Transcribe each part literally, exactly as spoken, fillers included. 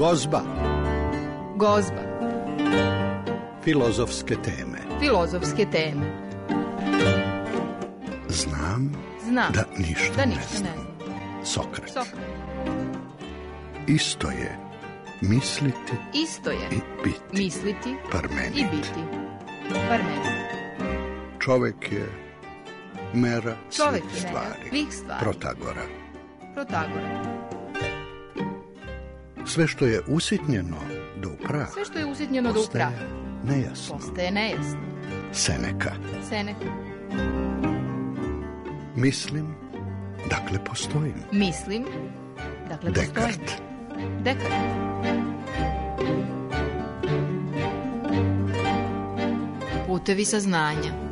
Gozba. Gozba. Filozofske teme. Filozofske teme. Znam, Znam da ništa, da ne, ništa znam. ne znam. Sokrat. Sokrat. Isto je misliti Isto je i biti. misliti Parmenid. i biti. Parmenid. Čovek je mera Čovek svih je mera stvari. svih stvari. Protagora. Protagora. Sve što je usitnjeno do upraha, Sve što je usitnjeno do postaje upraha nejasno. postaje nejasno. Seneka. Seneka. Mislim, dakle postojim. Mislim, dakle postojim. Dekart. Dekart. Putevi saznanja.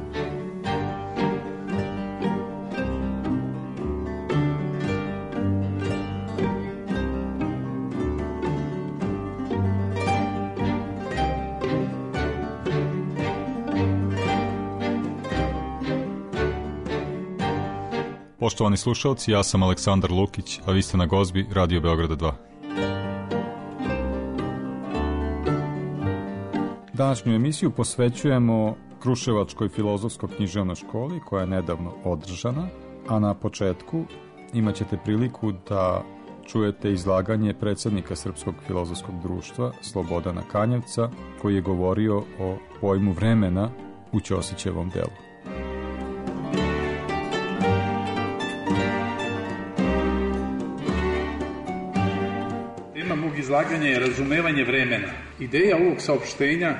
Poštovani slušalci, ja sam Aleksandar Lukić, a vi ste na Gozbi Radio Beograda dva. Današnju emisiju posvećujemo Kruševačkoj filozofsko-književnoj školi koja je nedavno održana, a na početku imat ćete priliku da čujete izlaganje predsjednika Srpskog filozofskog društva Slobodana Kanjevca, koji je govorio o pojmu vremena u Ćosićevom delu. Tema mog izlaganja je razumevanje vremena. Ideja ovog saopštenja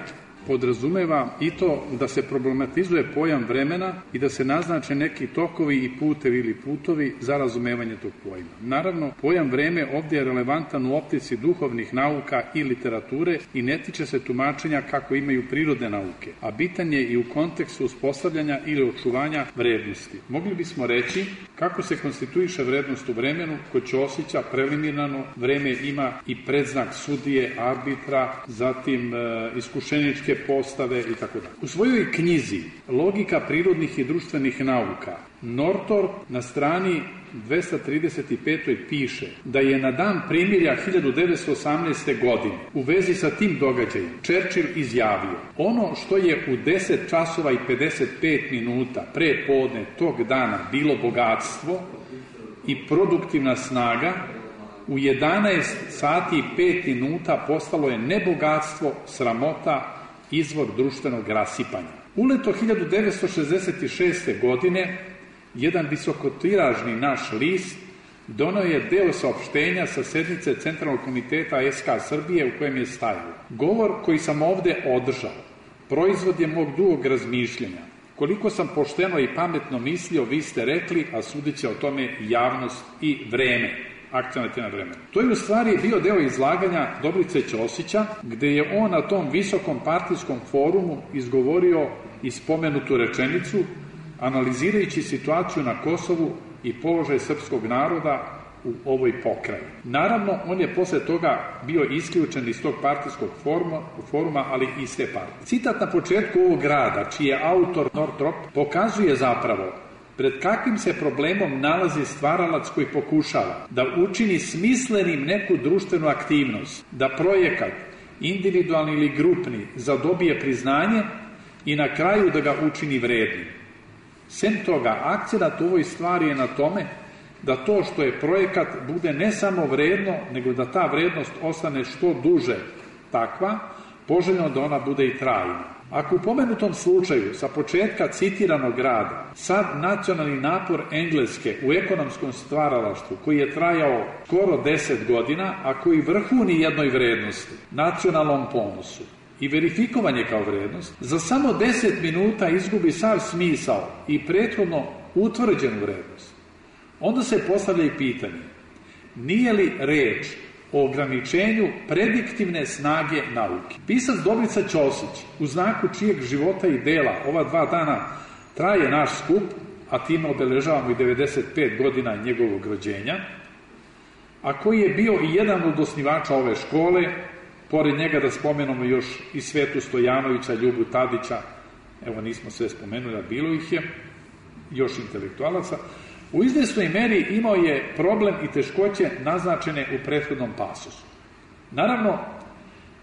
podrazumeva i to da se problematizuje pojam vremena i da se naznače neki tokovi i putevi ili putovi za razumevanje tog pojma. Naravno, pojam vreme ovdje je relevantan u optici duhovnih nauka i literature i ne tiče se tumačenja kako imaju prirodne nauke, a bitan je i u kontekstu uspostavljanja ili očuvanja vrednosti. Mogli bismo reći kako se konstituiše vrednost u vremenu. Kod Ćosića preliminarno vreme ima i predznak sudije, arbitra, zatim e, iskušeničke postave i tako dalje. U svojoj knjizi Logika prirodnih i društvenih nauka Northrop na strani dvesta trideset pet piše da je na dan primirja hiljadu devetsto osamnaeste. godine u vezi sa tim događajem Churchill izjavio: ono što je u deset časova i pedeset pet minuta pre podne tog dana bilo bogatstvo i produktivna snaga, u jedanaest sati i pet minuta postalo je nebogatstvo, sramota, izvor društvenog rasipanja. Uleto hiljadu devetsto šezdeset šeste. godine jedan visokotiražni naš list doneo je deo saopštenja sa sednice Centralnog komiteta S K Srbije u kojem je stajalo: govor koji sam ovde održao proizvod je mog dugog razmišljanja. Koliko sam pošteno i pametno mislio, vi ste rekli, a sudit će o tome javnost i vreme. Akcenat je na vremenu. To je u stvari bio deo izlaganja Dobrice Ćosića, gde je on na tom visokom partijskom forumu izgovorio i spomenutu rečenicu, analizirajući situaciju na Kosovu i položaj srpskog naroda u ovoj pokrajini. Naravno, on je posle toga bio isključen iz tog partijskog foruma, foruma, ali i iz te partije. Citat na početku ovog rada, čiji je autor Northrop, pokazuje zapravo pred kakvim se problemom nalazi stvaralac koji pokušava da učini smislenim neku društvenu aktivnost, da projekat, individualni ili grupni, zadobije priznanje i na kraju da ga učini vrednim. Sem toga, akcenat u ovoj stvari je na tome da to što je projekat bude ne samo vredno, nego da ta vrednost ostane što duže takva, poželjno da ona bude i trajna. Ako u pomenutom slučaju sa početka citiranog rada sad nacionalni napor Engleske u ekonomskom stvaralaštvu koji je trajao skoro deset godina, a koji vrhuni jednoj vrednosti, nacionalnom ponosu i verifikovanje kao vrednost, za samo deset minuta izgubi sav smisao i prethodno utvrđenu vrednost, onda se postavlja i pitanje: nije li reč o ograničenju prediktivne snage nauke? Pisac Dobrica Ćosić, u znaku čijeg života i dela ova dva dana traje naš skup, a time obeležavamo i devedeset pet godina njegovog rođenja, a koji je bio i jedan od osnivača ove škole, pored njega da spomenemo još i Svetu Stojanovića, Ljubu Tadića, evo nismo sve spomenuli, a bilo ih je, još intelektualaca, u izvesnoj meri imao je problem i teškoće naznačene u prethodnom pasusu. Naravno,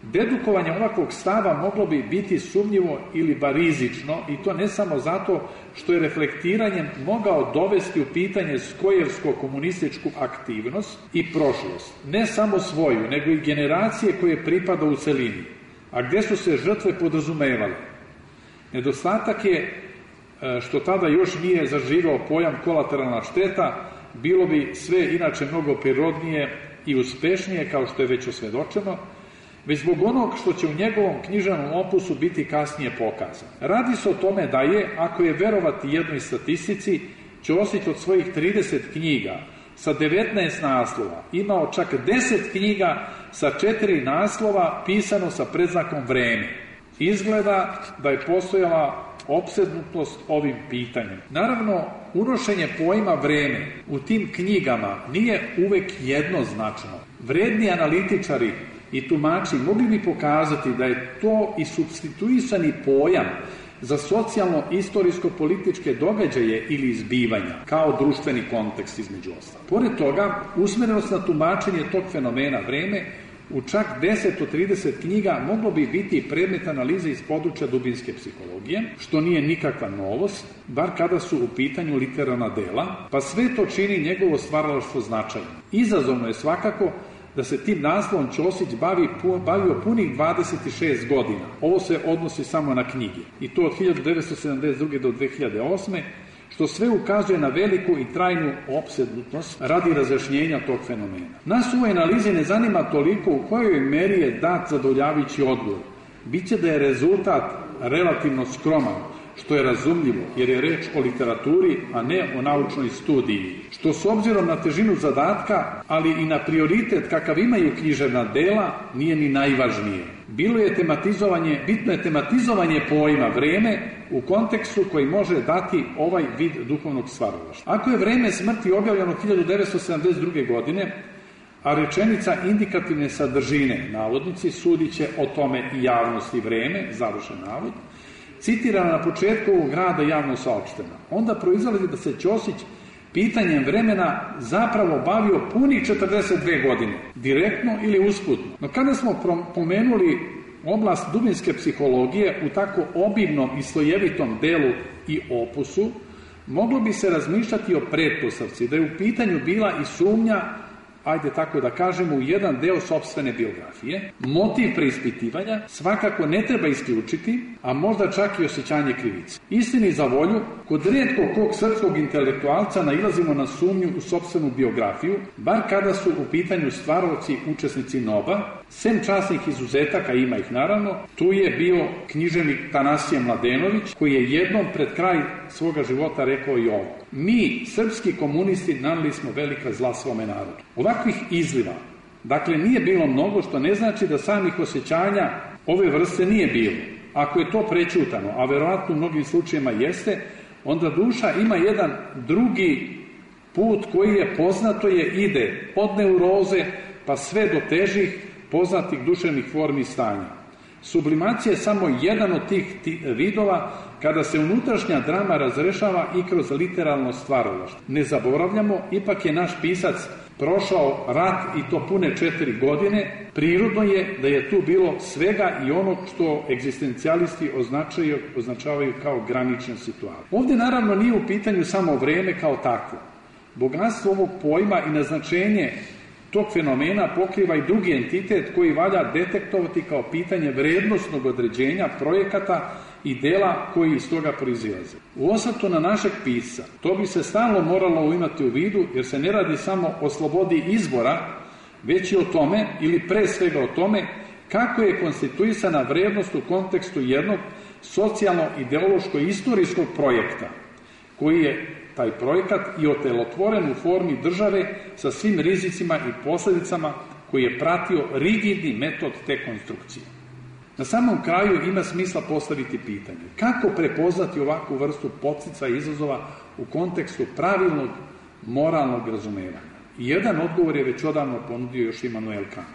dedukovanje ovakvog stava moglo bi biti sumnjivo ili bar rizično, i to ne samo zato što je reflektiranjem mogao dovesti u pitanje skojevsko-komunističku aktivnost i prošlost, ne samo svoju, nego i generacije koje pripada u celini, a gde su se žrtve podrazumevale. Nedostatak je što tada još nije zaživao pojam kolateralna šteta, bilo bi sve inače mnogo prirodnije i uspešnije, kao što je već osvedočeno, već zbog onog što će u njegovom književnom opusu biti kasnije pokazano. Radi se o tome da je, ako je verovati jednoj statistici, Ćosić od svojih trideset knjiga sa devetnaest naslova imao čak deset knjiga sa četiri naslova pisano sa predznakom vreme. Izgleda da je postojala opsednutost ovim pitanjem. Naravno, unošenje pojma vreme u tim knjigama nije uvek jednoznačno. Vredni analitičari i tumači mogli bi pokazati da je to i supstituisani pojam za socijalno-istorijsko-političke događaje ili izbivanja, kao društveni kontekst između ostalog. Pored toga, usmerenost na tumačenje tog fenomena vreme u čak deset do trideset knjiga moglo bi biti predmet analize iz područja dubinske psihologije, što nije nikakva novost, bar kada su u pitanju literarna dela, pa sve to čini njegovo stvaralaštvo značajno. Izazovno je svakako da se tim naslovom Ćosić bavi, bavio punih dvadeset šest godina. Ovo se odnosi samo na knjige. I to od hiljadu devetsto sedamdeset druge do dve hiljade osme, što sve ukazuje na veliku i trajnu opsednutost radi razjašnjenja tog fenomena. Nas u ovoj analizi ne zanima toliko u kojoj meri je dat zadovoljavajući odgovor. Biće da je rezultat relativno skroman, što je razumljivo, jer je reč o literaturi, a ne o naučnoj studiji, što s obzirom na težinu zadatka, ali i na prioritet kakav imaju književna dela, nije ni najvažnije. Bilo je tematizovanje, bitno je tematizovanje pojma vreme u kontekstu koji može dati ovaj vid duhovnog stvaralaštva. Ako je vreme smrti objavljeno hiljadu devetsto sedamdeset druge godine, a rečenica indikativne sadržine, navodnici, sudit će o tome i javnosti vreme, završen navod, citirana na početku ovog rada javno saopštena. Onda proizlazi da se Ćosić pitanjem vremena zapravo bavio punih četrdeset dve godine, direktno ili usputno. No kada smo pomenuli oblast dubinske psihologije u tako obimnom i slojevitom delu i opusu, moglo bi se razmišljati o pretpostavci da je u pitanju bila i sumnja, ajde tako da kažemo, u jedan deo sopstvene biografije. Motiv preispitivanja svakako ne treba isključiti, a možda čak i osjećanje krivice. Istini za volju, kod rijetko kog srpskog intelektualca nailazimo na sumnju u sopstvenu biografiju, bar kada su u pitanju stvaraoci učesnici N O B A, sem časnih izuzetaka, ima ih naravno, tu je bio književnik Tanasije Mladenović, koji je jednom pred kraj svoga života rekao i ovo: mi, srpski komunisti, naneli smo velika zla svome narodu. Ovakvih izliva, dakle, nije bilo mnogo, što ne znači da samih osjećanja ove vrste nije bilo. Ako je to prećutano, a verovatno u mnogim slučajima jeste, onda duša ima jedan drugi put koji je poznato je ide od neuroze pa sve do težih poznatih duševnih formi i stanja. Sublimacija je samo jedan od tih vidova kada se unutrašnja drama razrešava i kroz literalno stvaralaštvo. Ne zaboravljamo, ipak je naš pisac prošao rat i to pune četiri godine, prirodno je da je tu bilo svega i ono što egzistencijalisti označaju, označavaju kao granične situacije. Ovdje naravno nije u pitanju samo vreme kao takvo. Bogatstvo ovog pojma i naznačenje tog fenomena pokriva i drugi entitet koji valja detektovati kao pitanje vrednostnog određenja projekata i dela koji iz toga proizilaze. U osvrtu na našeg pisca, to bi se stalno moralo imati u vidu, jer se ne radi samo o slobodi izbora, već i o tome, ili pre svega o tome, kako je konstituisana vrednost u kontekstu jednog socijalno-ideološko-istorijskog projekta, koji je taj projekat i otelotvoren u formi države sa svim rizicima i posljedicama koji je pratio rigidni metod te konstrukcije. Na samom kraju ima smisla postaviti pitanje: kako prepoznati ovakvu vrstu podstica i izazova u kontekstu pravilnog moralnog razumevanja? I jedan odgovor je već odavno ponudio još Immanuel Kant.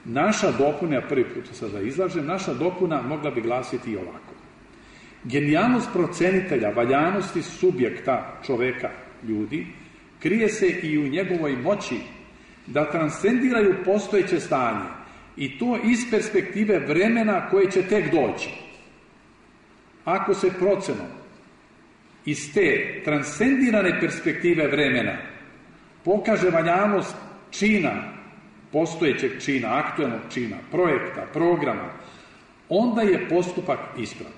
Naša dopuna, ja prvi put sada izlažem, naša dopuna mogla bi glasiti i ovako: genijalnost procenitelja valjanosti subjekta čoveka, ljudi, krije se i u njegovoj moći da transcendiraju postojeće stanje i to iz perspektive vremena koje će tek doći. Ako se procenom iz te transcendirane perspektive vremena pokaže valjanost čina, postojećeg čina, aktuelnog čina, projekta, programa, onda je postupak ispravan.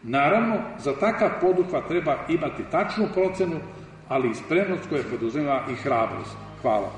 Naravno, za takav poduhvat treba imati tačnu procenu, ali i spremnost koja poduzima i hrabrost. Hvala.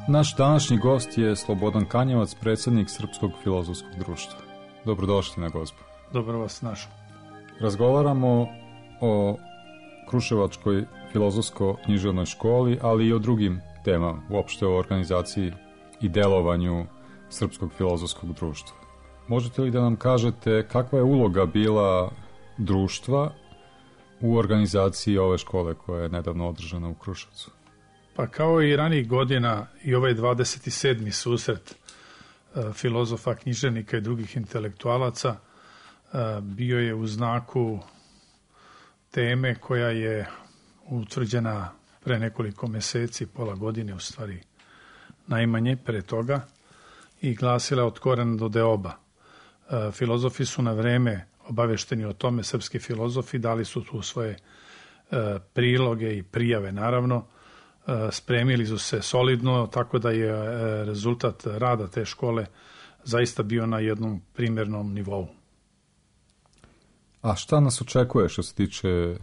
Naš današnji gost je Slobodan Kanjevac, predsjednik Srpskog filozofskog društva. Dobrodošli na Gozbu. Dobro vas našao. Razgovaramo o Kruševačkoj filozofsko-književnoj školi, ali i o drugim temama, uopšte o organizaciji i delovanju Srpskog filozofskog društva. Možete li da nam kažete kakva je uloga bila društva u organizaciji ove škole koja je nedavno održana u Kruševcu? Pa kao i ranijih godina i ovaj dvadeset sedmi susret e, filozofa, književnika i drugih intelektualaca e, bio je u znaku teme koja je utvrđena pre nekoliko meseci, pola godine u stvari najmanje pre toga, i glasila od korena do deoba. E, filozofi su na vreme obavešteni o tome, srpski filozofi dali su tu svoje e, priloge i prijave, naravno. Spremili su se solidno, tako da je rezultat rada te škole zaista bio na jednom primjernom nivou. A šta nas očekuje što se tiče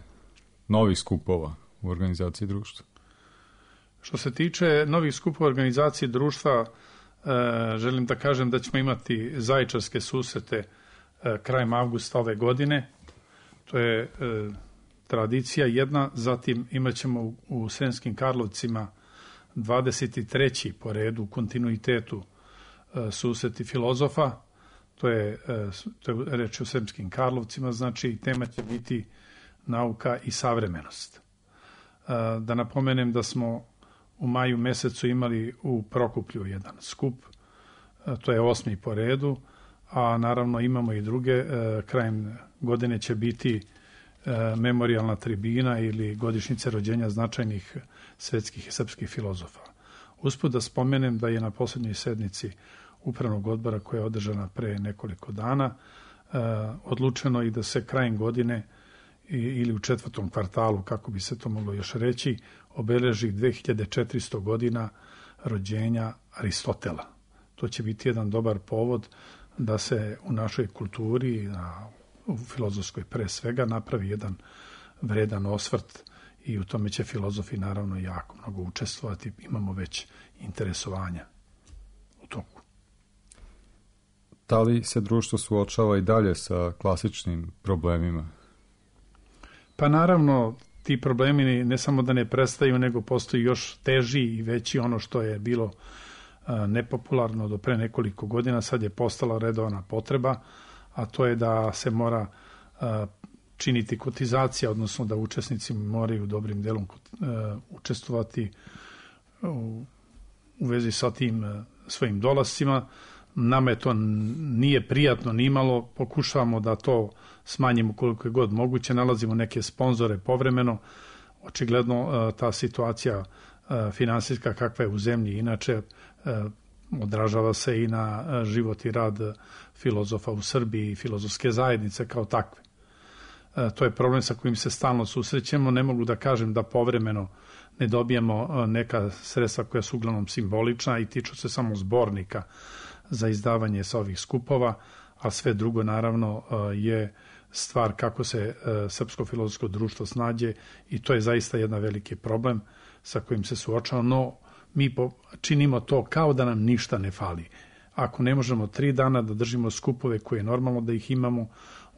novih skupova u organizaciji društva? Što se tiče novih skupova organizacije društva, želim da kažem da ćemo imati zajičarske susrete krajem avgusta ove godine. To je tradicija jedna, zatim imat ćemo u, u Sremskim Karlovcima dvadeset treći po redu u kontinuitetu e, susreti filozofa, to je, e, to je reč o Sremskim Karlovcima, znači tema će biti nauka i savremenost. E, da napomenem da smo u maju mesecu imali u Prokuplju jedan skup, e, to je osmi po redu, a naravno imamo i druge, e, krajem godine će biti memorijalna tribina ili godišnjice rođenja značajnih svetskih i srpskih filozofa. Usput da spomenem da je na posljednjoj sednici upravnog odbora koja je održana pre nekoliko dana odlučeno i da se krajem godine ili u četvrtom kvartalu, kako bi se to moglo još reći, obeleži dve hiljade četiristo godina rođenja Aristotela. To će biti jedan dobar povod da se u našoj kulturi, na u filozofskoj pre svega, napravi jedan vredan osvrt i u tome će filozofi naravno jako mnogo učestvovati. Imamo već interesovanja u toku. Da li se društvo suočava i dalje sa klasičnim problemima? Pa naravno, ti problemi ne samo da ne prestaju, nego postoji još teži i veći. Ono što je bilo a, nepopularno do pre nekoliko godina, sad je postala redovna potreba, a to je da se mora a, činiti kotizacija, odnosno da učesnici moraju dobrim delom a, učestvovati u, u vezi sa tim a, svojim dolascima. Nama je to nije prijatno nimalo, pokušavamo da to smanjimo koliko je god moguće, nalazimo neke sponzore povremeno. Očigledno a, ta situacija a, finansijska kakva je u zemlji inače a, odražava se i na život i rad filozofa u Srbiji i filozofske zajednice kao takve. E, to je problem sa kojim se stalno susrećemo. Ne mogu da kažem da povremeno ne dobijemo neka sredstva koja su uglavnom simbolična i tiču se samo zbornika za izdavanje sa ovih skupova, a sve drugo naravno je stvar kako se Srpsko filozofsko društvo snađe i to je zaista jedan veliki problem sa kojim se suočavamo, no mi činimo to kao da nam ništa ne fali. Ako ne možemo tri dana da držimo skupove koje je normalno da ih imamo,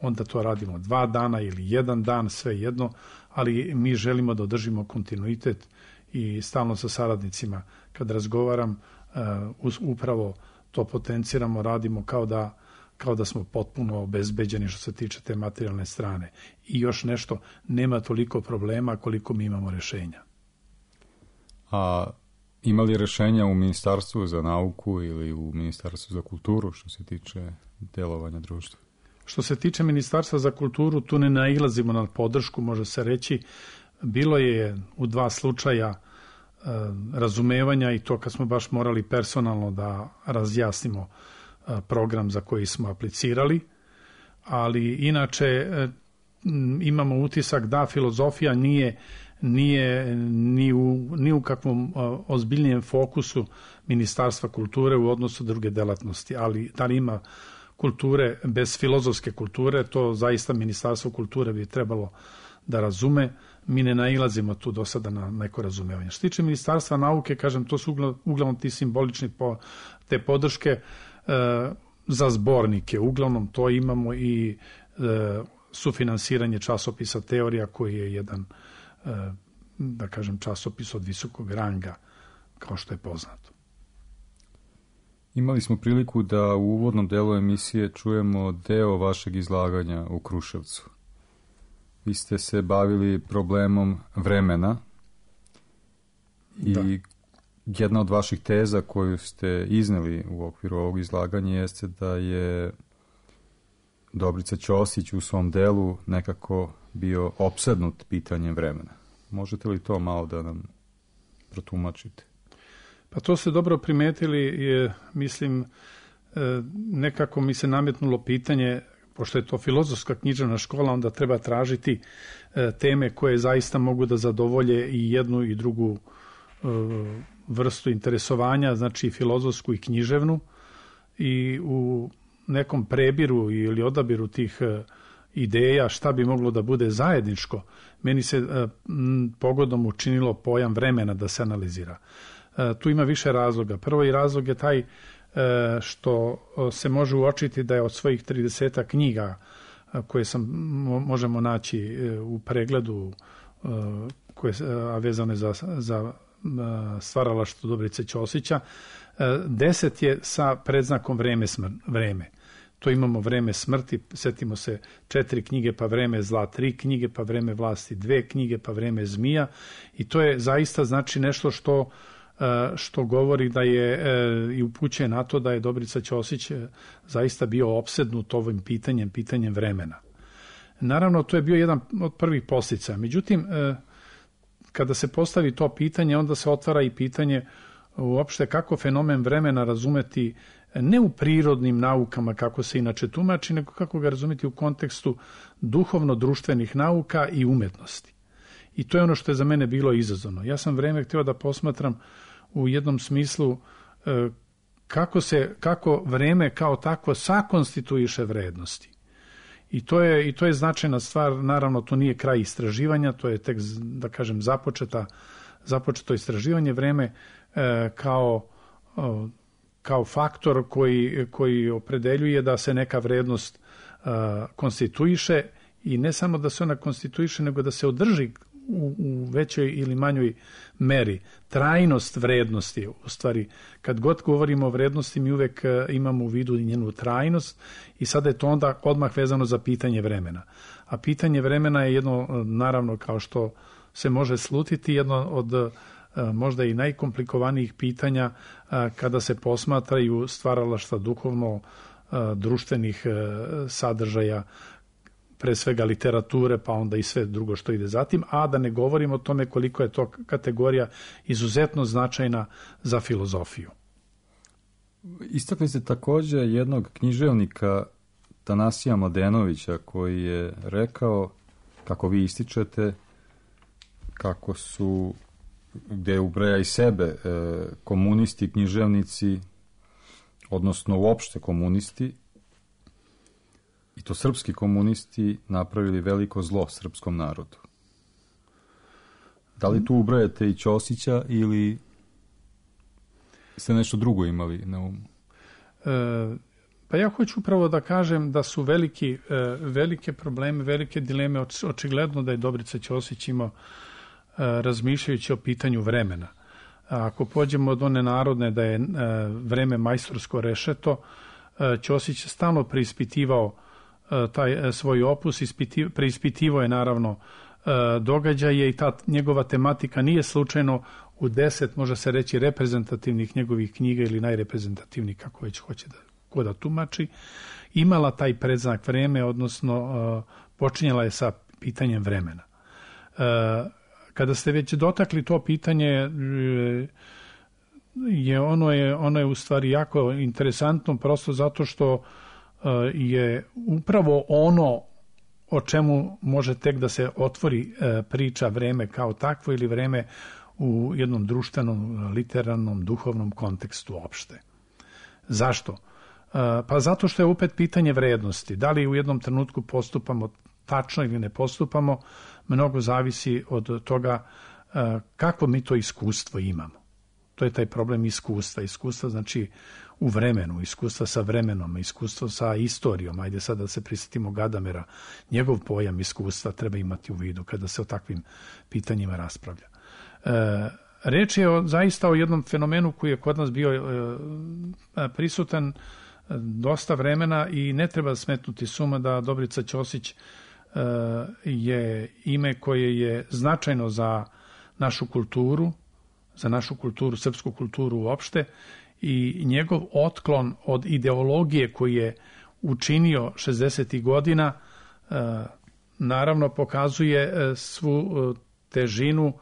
onda to radimo dva dana ili jedan dan, sve jedno, ali mi želimo da održimo kontinuitet i stalno sa saradnicima kad razgovaram, upravo to potenciramo, radimo kao da, kao da smo potpuno obezbeđeni što se tiče te materijalne strane. I još nešto, nema toliko problema koliko mi imamo rješenja. A ima li rješenja u Ministarstvu za nauku ili u Ministarstvu za kulturu što se tiče delovanja društva? Što se tiče Ministarstva za kulturu, tu ne nailazimo na podršku, može se reći. Bilo je u dva slučaja e, razumevanja i to kad smo baš morali personalno da razjasnimo e, program za koji smo aplicirali, ali inače e, imamo utisak da filozofija nije, nije ni, u, ni u kakvom e, ozbiljnijem fokusu Ministarstva kulture u odnosu druge delatnosti, ali da li ima kulture bez filozofske kulture, to zaista Ministarstvo kulture bi trebalo da razume. Mi ne nailazimo tu do sada na neko razumevanje. Što tiče Ministarstva nauke, kažem, to su uglavnom ti simbolični po, te podrške e, za zbornike. Uglavnom to imamo i e, sufinansiranje časopisa Teorija, koji je jedan, e, da kažem, časopis od visokog ranga, kao što je poznato. Imali smo priliku da u uvodnom delu emisije čujemo deo vašeg izlaganja u Kruševcu. Vi ste se bavili problemom vremena i da. Jedna od vaših teza koju ste izneli u okviru ovog izlaganja jeste da je Dobrica Ćosić u svom delu nekako bio opsednut pitanjem vremena. Možete li to malo da nam protumačite? Pa to ste dobro primetili, je, mislim, nekako mi se nametnulo pitanje, pošto je to filozofska književna škola, onda treba tražiti teme koje zaista mogu da zadovolje i jednu i drugu vrstu interesovanja, znači filozofsku i književnu, i u nekom prebiru ili odabiru tih ideja šta bi moglo da bude zajedničko, meni se pogodom učinilo pojam vremena da se analizira. Tu ima više razloga. Prvi razlog je taj što se može uočiti da je od svojih trideset knjiga koje sam, možemo naći u pregledu, koje, a vezane za, za stvaralaštvo Dobrice Ćosića, deset je sa predznakom vreme, smr, vreme. To imamo vreme smrti, setimo se četiri knjige, pa vreme zla tri knjige, pa vreme vlasti dve knjige, pa vreme zmija, i to je zaista znači nešto što što govori da je i upućuje na to da je Dobrica Ćosić zaista bio opsednut ovim pitanjem, pitanjem vremena. Naravno, to je bio jedan od prvih posljedica. Međutim, kada se postavi to pitanje, onda se otvara i pitanje uopšte kako fenomen vremena razumeti ne u prirodnim naukama kako se inače tumači, nego kako ga razumeti u kontekstu duhovno-društvenih nauka i umetnosti. I to je ono što je za mene bilo izazovno. Ja sam vreme htio da posmatram u jednom smislu kako se, kako vreme kao takvo sakonstituiše vrednosti. I to je, i to je značajna stvar. Naravno, to nije kraj istraživanja, to je tek, da kažem, započeta, započeto istraživanje. Vreme kao, kao faktor koji, koji opredeljuje da se neka vrednost konstituiše, i ne samo da se ona konstituiše, nego da se održi U, u većoj ili manjoj meri. Trajnost vrednosti, u stvari, kad god govorimo o vrednosti, mi uvek imamo u vidu i njenu trajnost, i sada je to onda odmah vezano za pitanje vremena. A pitanje vremena je jedno, naravno, kao što se može slutiti, jedno od možda i najkomplikovanijih pitanja kada se posmatraju stvaralaštva duhovno društvenih sadržaja, pre svega literature, pa onda i sve drugo što ide zatim, a da ne govorimo o tome koliko je to kategorija izuzetno značajna za filozofiju. Istakli ste također jednog književnika, Tanasija Mladenovića, koji je rekao, kako vi ističete, kako su, gde ubraja i sebe, komunisti, književnici, odnosno uopšte komunisti, i to srpski komunisti, napravili veliko zlo srpskom narodu. Da li tu ubrajate i Ćosića ili ste nešto drugo imali na umu? E, pa ja hoću upravo da kažem da su veliki, e, velike probleme, velike dileme, očigledno da je Dobrica Ćosić imao e, razmišljajući o pitanju vremena. Ako pođemo od one narodne da je vreme majstorsko rešeto, Ćosić je stalno preispitivao taj svoj opus, preispitivao je naravno događaje i ta njegova tematika nije slučajno u deset, može se reći, reprezentativnih njegovih knjiga ili najreprezentativnijih, kako već hoće da, ko da tumači, imala taj predznak vreme, odnosno počinjala je sa pitanjem vremena. Kada ste već dotakli to pitanje, je ono je, ono je u stvari jako interesantno, prosto zato što je upravo ono o čemu može tek da se otvori priča vreme kao takvo ili vreme u jednom društvenom, literarnom, duhovnom kontekstu uopšte. Zašto? Pa zato što je opet pitanje vrednosti. Da li u jednom trenutku postupamo tačno ili ne postupamo, mnogo zavisi od toga kakvo mi to iskustvo imamo. To je taj problem iskustva. Iskustva znači u vremenu, iskustva sa vremenom, iskustvo sa istorijom. Ajde sad da se prisjetimo Gadamera. Njegov pojam iskustva treba imati u vidu kada se o takvim pitanjima raspravlja. E, reč je o, zaista o jednom fenomenu koji je kod nas bio e, prisutan dosta vremena i ne treba smetnuti suma da Dobrica Ćosić e, je ime koje je značajno za našu kulturu, za našu kulturu, srpsku kulturu uopšte, i njegov otklon od ideologije koji je učinio šezdesetih godina e, naravno pokazuje svu težinu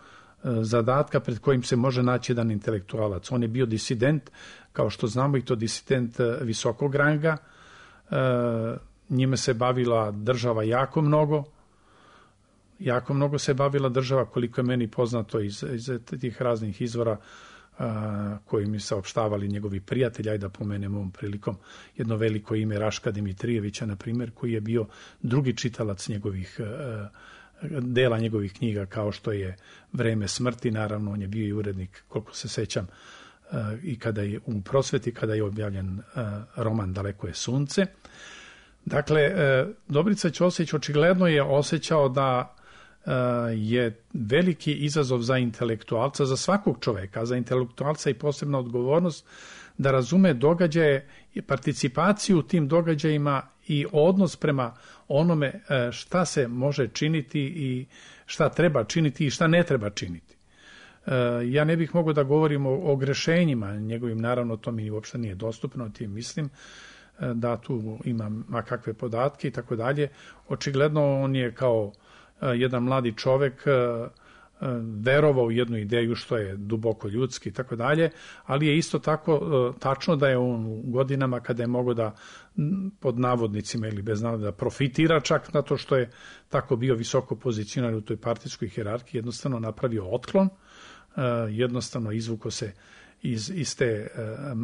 zadatka pred kojim se može naći jedan intelektualac. On je bio disident, kao što znamo, i to disident visokog ranga. E, njime se bavila država jako mnogo. Jako mnogo se bavila država, koliko je meni poznato iz, iz tih raznih izvora a, koji mi saopštavali njegovi prijatelji. Ajde da pomenem ovom prilikom jedno veliko ime Raška Dimitrijevića, na primjer, koji je bio drugi čitalac njegovih a, dela njegovih knjiga, kao što je Vreme smrti. Naravno, on je bio i urednik, koliko se sećam, a, i kada je u Prosveti, kada je objavljen a, roman Daleko je sunce. Dakle, a, Dobrica Ćosić očigledno je osjećao da je veliki izazov za intelektualca, za svakog čoveka, a za intelektualca i posebna odgovornost da razume događaje i participaciju u tim događajima i odnos prema onome šta se može činiti i šta treba činiti i šta ne treba činiti. Ja ne bih mogao da govorim o, o grešenjima njegovim, naravno to mi uopšte nije dostupno, tim mislim da tu imam makakve podatke i tako dalje. Očigledno on je kao jedan mladi čovek verovao u jednu ideju što je duboko ljudski i tako dalje, ali je isto tako tačno da je on u godinama kada je mogao da pod navodnicima ili bez navodnika da profitira čak na to što je tako bio visoko pozicioniran u toj partijskoj hijerarhiji, jednostavno napravio otklon, jednostavno izvuko se iz, iz te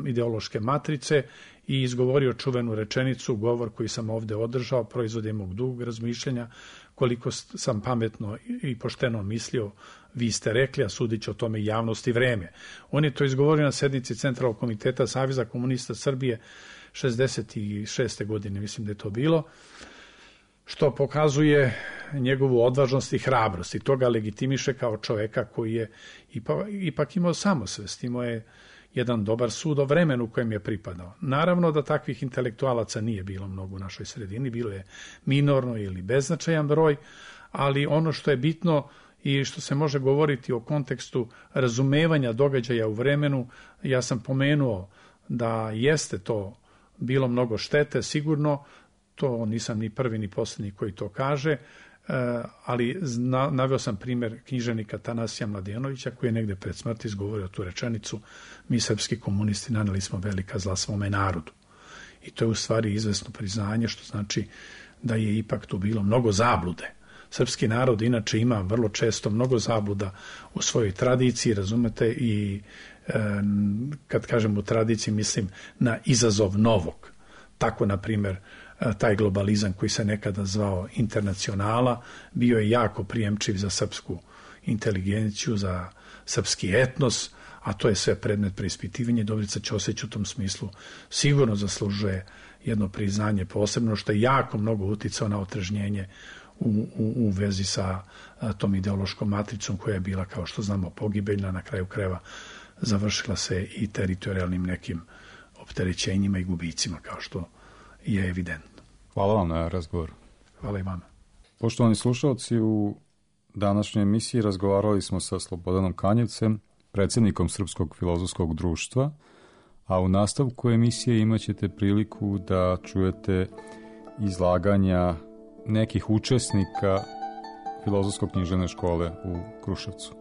ideološke matrice i izgovorio čuvenu rečenicu, govor koji sam ovde održao, proizvod je mog dugog razmišljenja, koliko sam pametno i pošteno mislio, vi ste rekli, a sudit će o tome javnost i vreme. On je to izgovorio na sednici Centralnog komiteta Saveza komunista Srbije šezdeset šeste godine, mislim da je to bilo, što pokazuje njegovu odvažnost i hrabrost i to ga legitimiše kao čoveka koji je ipak, ipak imao samosvest, imao je jedan dobar sud o vremenu u kojem je pripadao. Naravno da takvih intelektualaca nije bilo mnogo u našoj sredini, bilo je minorno ili beznačajan broj, ali ono što je bitno i što se može govoriti o kontekstu razumevanja događaja u vremenu, ja sam pomenuo da jeste to bilo mnogo štete, sigurno, to nisam ni prvi ni posljednji koji to kaže, ali naveo sam primjer književnika Tanasija Mladenovića koji je negde pred smrti izgovorio tu rečenicu: mi srpski komunisti naneli smo velika zla svome narodu. I to je u stvari izvesno priznanje, što znači da je ipak tu bilo mnogo zablude. Srpski narod inače ima vrlo često mnogo zabluda u svojoj tradiciji, razumete, i e, kad kažem u tradiciji mislim na izazov novog. Tako, na primjer, taj globalizam koji se nekada zvao internacionala bio je jako prijemčiv za srpsku inteligenciju, za srpski etnos, a to je sve predmet preispitivanja. Dobrica Ćosić u tom smislu sigurno zaslužuje jedno priznanje posebno, što je jako mnogo uticao na otrežnjenje u, u, u vezi sa a, tom ideološkom matricom koja je bila, kao što znamo, pogibeljna, na kraju krajeva završila se i teritorijalnim nekim opterećenjima i gubicima, kao što je evidentno. Hvala vam na razgovoru. Hvala i vama. Poštovani slušalci, u današnjoj emisiji razgovarali smo sa Slobodanom Kanjevcem, predsjednikom Srpskog filozofskog društva, a u nastavku emisije imat ćete priliku da čujete izlaganja nekih učesnika Filozofsko-književne škole u Kruševcu.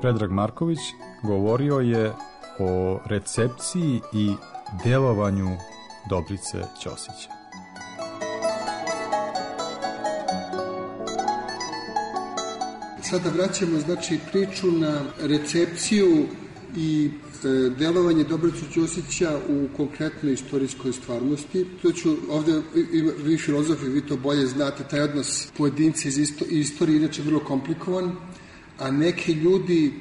Predrag Marković govorio je o recepciji i delovanju Dobrice Ćosića. Sada vraćamo znači priču na recepciju i e, delovanje Dobrice Ćosića u konkretnoj istorijskoj stvarnosti. To ću ovdje, vi filozofi, vi to bolje znate, taj odnos pojedinci iz isto, istorije inače vrlo komplikovan, a neki ljudi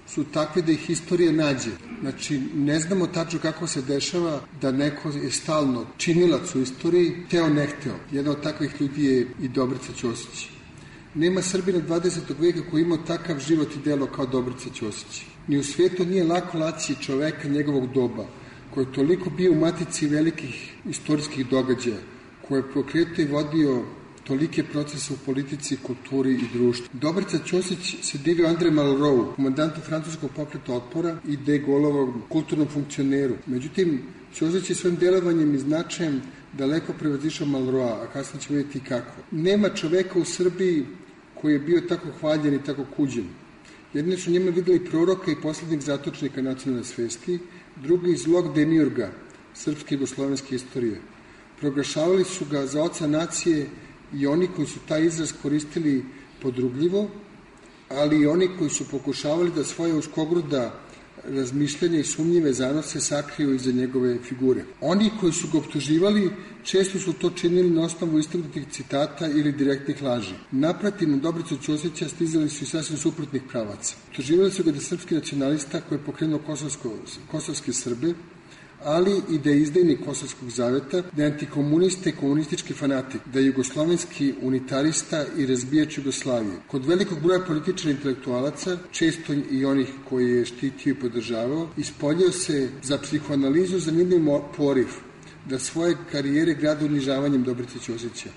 su takvi da ih istorija nađe. Znači, ne znamo tačno kako se dešava da neko je stalno činilac u istoriji, teo ne hteo. Jedan od takvih ljudi je i Dobrica Ćosić. Nema Srbina dvadesetog veka koji imao takav život i delo kao Dobrica Ćosić. Ni u svijetu nije lako naći čoveka njegovog doba, koji je toliko bio u matici velikih istorijskih događaja, koji je pokretio i vodio tolike procese u politici, kulturi i društvu. Dobrica Ćosić se divio Andre Malraux, komandantu francuskog pokreta otpora i de Gaulleovom kulturnom funkcioneru. Međutim, Ćosić je svojim delovanjem i značajem daleko prevazišao Malroa, a kasnije ćemo vidjeti kako. Nema čoveka u Srbiji koji je bio tako hvaljen i tako kuđen. Jedni su njima videli proroka i posljednjeg zatočnika nacionalne svesti, drugi zlog demiurga srpske i jugoslovenske istorije. Proglašavali su ga za oca nacije i oni koji su taj izraz koristili podrugljivo, ali i oni koji su pokušavali da svoje uskogruda razmišljanja i sumnjive zanose sakriju iza njegove figure. Oni koji su ga optuživali često su to činili na osnovu istignutih citata ili direktnih laži. Naprotiv, na Dobricu Ćosića stizali su i sasvim suprotnih pravaca. Optuživali su ga da je srpski nacionalista koji je pokrenuo kosovsko, kosovske Srbe, ali i da je izdajnik Kosovskog zaveta, da je antikomunista i komunistički fanatik, da je jugoslovenski unitarista i razbijač Jugoslavije. Kod velikog broja političara i intelektualaca, često i onih koji je štitio i podržavao, ispoljio se za psihoanalizu zanimljiv poriv da svoje karijere grade unižavanjem Dobrice Ćosića.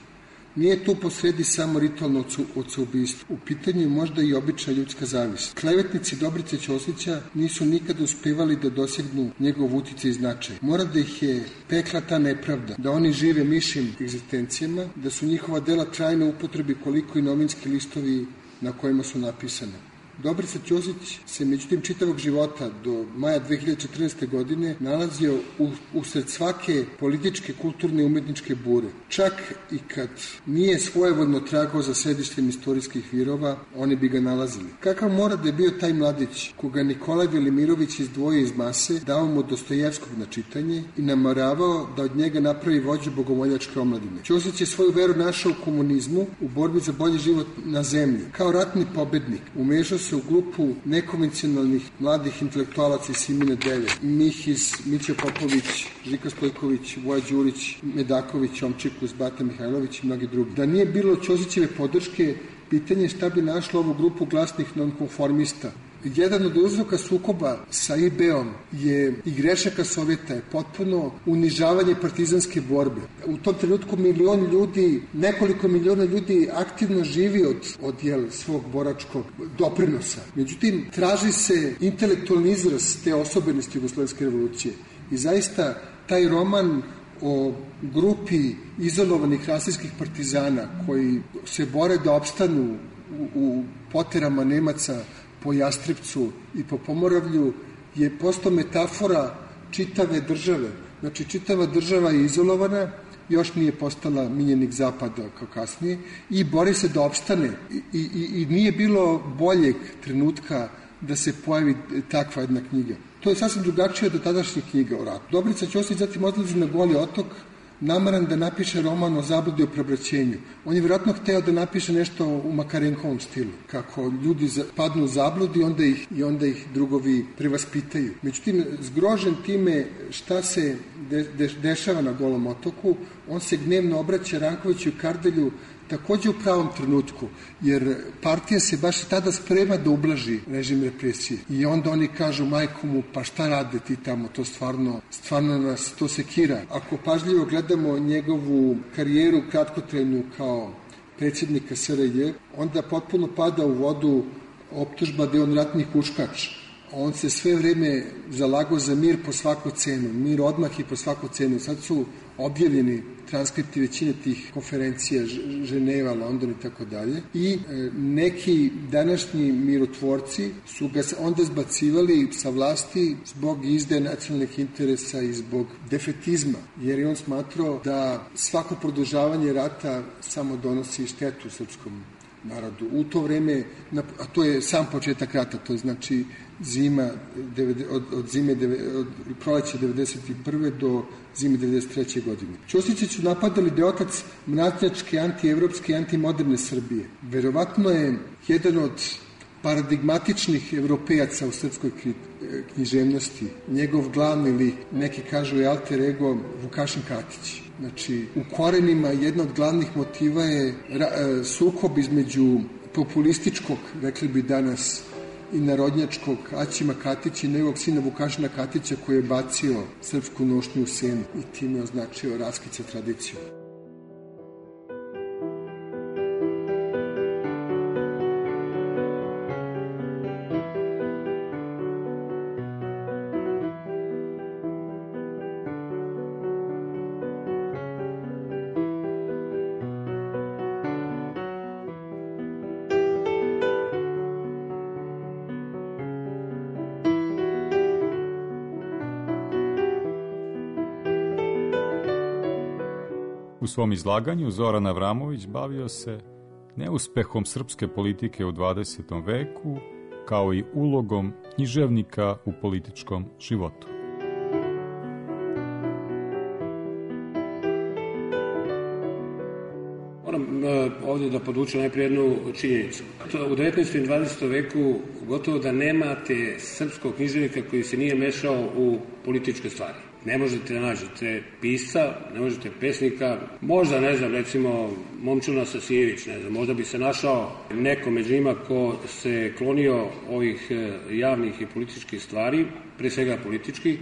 Nije tu posredi samo ritualno oceubistvo. U pitanju je možda i obična ljudska zavist. Klevetnici Dobrice Ćosića nisu nikada uspevali da dosegnu njegov uticaj i značaj. Mora da ih je pekla ta nepravda, da oni žive mišim egzistencijama, da su njihova dela trajno upotrebi koliko i novinski listovi na kojima su napisane. Dobrica Ćosić se međutim čitavog života do maja dve hiljade četrnaeste. godine nalazio u, usred svake političke, kulturne i umetničke bure. Čak i kad nije svojevoljno tragao za sedištem istorijskih virova, oni bi ga nalazili. Kakav mora da je bio taj mladić, koga Nikolaj Velimirović izdvojio iz mase, dao mu Dostojevskog na čitanje i namoravao da od njega napravi vođu bogomoljačke omladine. Ćosić je svoju veru našao u komunizmu, u borbi za bolji život na zemlji. Kao ratni pobednik umešao se u grupu nekonvencionalnih mladih intelektualaca iz Simine Deve, Mihiz, Mića Popović, Žika Stojković, Voja Đurić, Medaković, Omčikus, Bata Mihajlović i mnogi drugi. Da nije bilo Ćosićeve podrške, pitanje šta bi našlo ovu grupu glasnih nonkonformista jedan od uzroka sukoba sa I B-om je i grešaka Sovjeta je potpuno unižavanje partizanske borbe. U tom trenutku milion ljudi, nekoliko miliona ljudi aktivno živi od, od jel, svog boračkog doprinosa. Međutim, traži se intelektualni izraz te osobenosti Jugoslovenske revolucije. I zaista taj roman o grupi izolovanih rasijskih partizana koji se bore da opstanu u, u poterama Nemaca po Jastrepcu i po Pomoravlju je postao metafora čitave države. Znači, čitava država je izolovana, još nije postala miljenik Zapada kao kasnije i bori se da opstane. I, i, i nije bilo boljeg trenutka da se pojavi takva jedna knjiga. To je sasvim drugačije od tadašnjih knjiga o ratu. Dobrica Ćosić zatim odlazi na Goli otok, namaran da napiše roman o zabludi o preobraćenju. On je vjerojatno hteo da napiše nešto u Makarenkovom stilu, kako ljudi padnu u zabludi i onda ih, i onda ih drugovi prevaspitaju. Međutim, zgrožen time šta se de, de, dešava na Golom otoku, on se gnevno obraća Rankoviću i Kardelju takođe u pravom trenutku, jer partija se baš tada sprema da ublaži režim represije. I onda oni kažu majku mu, pa šta rade ti tamo, to stvarno, stvarno nas to sekira. Ako pažljivo gledamo njegovu karijeru kratkotrajnu kao predsjednika S R J, onda potpuno pada u vodu optužba da je on ratni huškač. On se sve vreme zalagao za mir po svaku cenu, mir odmah i po svaku cenu. Sad su objavljeni transkripti većine tih konferencija, Ženeva, London i tako dalje. I e, neki današnji mirotvorci su ga onda zbacivali sa vlasti zbog izdaje nacionalnih interesa i zbog defetizma, jer je on smatrao da svako produžavanje rata samo donosi štetu srpskom narodu. U to vreme, a to je sam početak rata, to je znači zima od, od zime od proleća devedeset prve do zime devedeset treće godine. Ćosića su napadali da je otac mračnjačke, antievropske i antimoderne Srbije. Verovatno je jedan od paradigmatičnih evropejaca u srpskoj književnosti. Njegov glavni lik, neki kažu je alter ego Vukašin Katić. Znači, u korenima jedna od glavnih motiva je ra, sukob između populističkog, rekli bi danas, i narodnjačkog Aćima Katića i njegovog sina Vukašina Katića koji je bacio srpsku nošnju u Senu i time označio raskid sa tradicijom. U svom izlaganju Zoran Avramović bavio se neuspehom srpske politike u dvadesetom veku, kao i ulogom književnika u političkom životu. Moram ovdje da podvučem najprije jednu činjenicu. U devetnaestom i dvadesetom veku gotovo da nemate srpskog književnika koji se nije mešao u političke stvari. Ne možete da nađete pisca, ne možete pesnika, možda, ne znam, recimo Momčilo Sasijević, ne znam, možda bi se našao neko među njima ko se klonio ovih javnih i političkih stvari, pre svega političkih,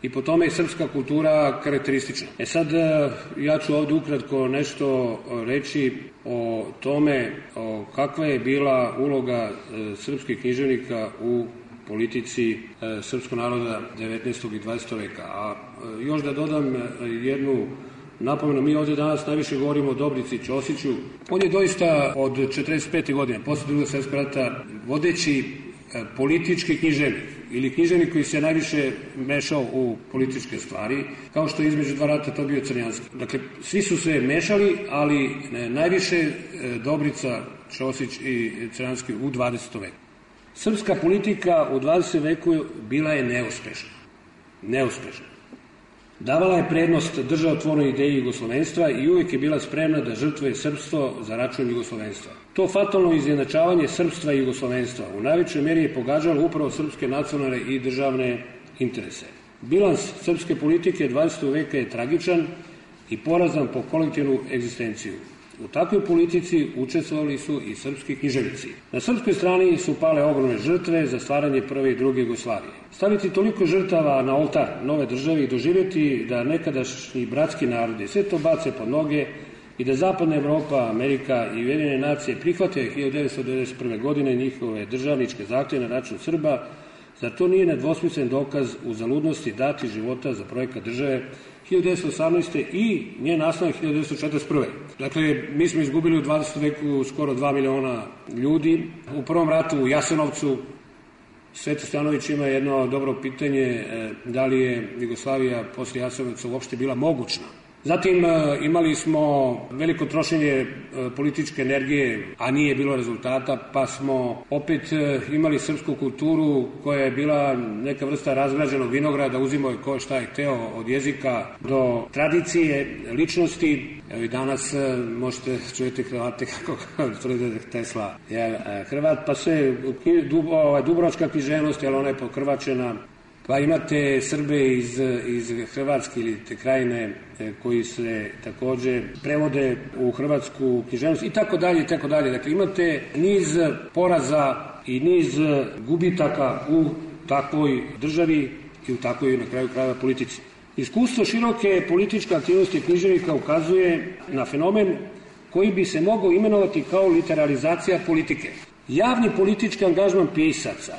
i po tome je srpska kultura karakteristična. E sad, ja ću ovdje ukratko nešto reći o tome o kakva je bila uloga srpskih književnika u politici e, srpskog naroda devetnaestog i dvadesetog veka. A e, još da dodam jednu napomenu, mi ovdje danas najviše govorimo o Dobrici Ćosiću. On je doista od četrdeset pete godine, posle Drugog svjetskog rata, vodeći e, politički književnik ili književnik koji se najviše mešao u političke stvari, kao što je između dva rata to bio Crnjanski. Dakle, svi su se mešali, ali e, najviše e, Dobrica Ćosić i Crnjanski u dvadesetom veku. Srpska politika u dvadesetom veku bila je neuspešna. Neuspešna. Davala je prednost državotvornoj ideji jugoslovenstva i uvijek je bila spremna da žrtvuje srpstvo za račun jugoslovenstva. To fatalno izjednačavanje srpstva i jugoslovenstva u najvećoj meri je pogađalo upravo srpske nacionalne i državne interese. Bilans srpske politike dvadesetog veka je tragičan i porazan po kolektivnu egzistenciju. U takvoj politici učestvovali su i srpski književnici. Na srpskoj strani su pale ogromne žrtve za stvaranje prve i druge Jugoslavije. Staviti toliko žrtava na oltar nove države i doživjeti da nekadašnji bratski narodi sve to bace pod noge i da Zapadna Evropa, Amerika i Ujedinjene nacije prihvate hiljadu devetsto devedeset prve. godine njihove državničke zahtjeve na račun Srba, zar to nije nedvosmislen dokaz uzaludnosti dati života za projekat države hiljadu devetsto osamnaeste. i njen nastanak hiljadu devetsto četrdeset prve. Dakle, mi smo izgubili u dvadesetom veku skoro dva miliona ljudi. U prvom ratu u Jasenovcu Sveti Stjanović ima jedno dobro pitanje da li je Jugoslavija posle Jasenovca uopšte bila mogućna. Zatim imali smo veliko trošenje političke energije, a nije bilo rezultata, pa smo opet imali srpsku kulturu koja je bila neka vrsta razgrađenog vinograda, uzimao je ko šta je hteo od jezika do tradicije, ličnosti. Evo i danas možete čujete Hrvate kako tvrde Tesla je Hrvat, pa sve dubrovačka književnost, jer ona je pokrvačena. Pa imate Srbe iz, iz Hrvatske ili te krajine koji se takođe prevode u hrvatsku književnost i tako dalje i tako dalje. Dakle, imate niz poraza i niz gubitaka u takvoj državi i u takvoj, na kraju krajeva, politici. Iskustvo široke političke aktivnosti književnika ukazuje na fenomen koji bi se mogao imenovati kao literalizacija politike. Javni politički angažman pisaca,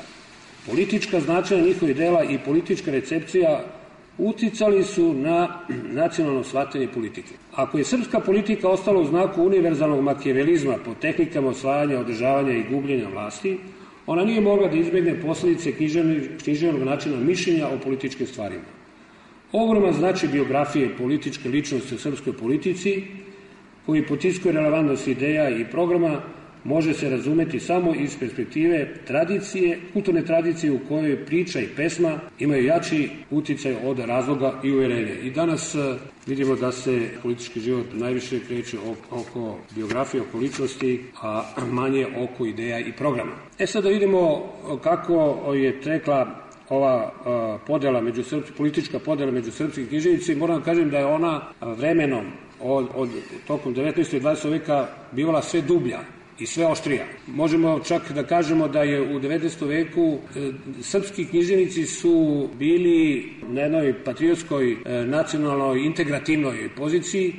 politička značaja njihovih dela i politička recepcija uticali su na nacionalno shvatanje politike. Ako je srpska politika ostala u znaku univerzalnog makijavelizma po tehnikama osvajanja, održavanja i gubljenja vlasti, ona nije mogla da izbjegne posljedice književnog načina mišljenja o političkim stvarima. Ogroman značaj biografije i političke ličnosti u srpskoj politici, koji potiskuje relevantnost ideja i programa, može se razumeti samo iz perspektive tradicije, kulturne tradicije u kojoj priča i pesma imaju jači uticaj od razloga i uverenja. I danas vidimo da se politički život najviše kreće oko biografije, oko ličnosti, a manje oko ideja i programa. E sad da vidimo kako je tekla ova podela među srpski, politička podela među srpskih književnici. Moram da kažem da je ona vremenom od, od tokom devetnaestog i dvadesetog veka bivala sve dublja i sve oštrija. Možemo čak da kažemo da je u devetnaestom veku e, srpski književnici su bili na jednoj patriotskoj, e, nacionalnoj, integrativnoj poziciji.